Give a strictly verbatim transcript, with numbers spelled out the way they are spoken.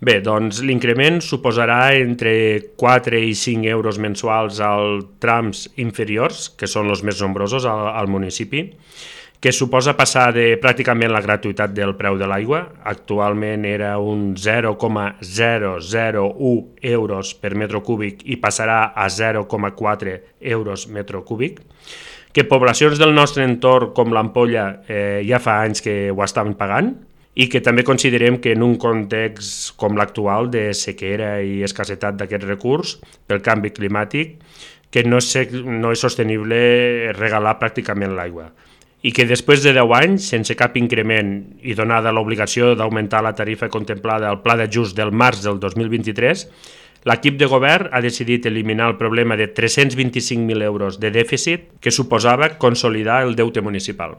Bé, doncs l'increment suposarà entre quatre i cinc euros mensuals als trams inferiors, que són els més nombrosos al, al municipi, que suposa passar de pràcticament la gratuïtat del preu de l'aigua. Actualment era un zero coma zero zero u euros per metre cúbic i passarà a zero coma quatre euros metre cúbic, que poblacions del nostre entorn com l'Ampolla eh, ja fa anys que ho estaven pagant, i que també considerem que en un context com l'actual de sequera i escassetat d'aquest recurs pel canvi climàtic, que no és, no és sostenible regalar pràcticament l'aigua, i que després de deu anys, sense cap increment i donada l'obligació d'augmentar la tarifa contemplada al pla d'ajust del març del dos mil vint-i-tres, l'equip de govern ha decidit eliminar el problema de tres-cents vint-i-cinc mil euros de dèficit que suposava consolidar el deute municipal.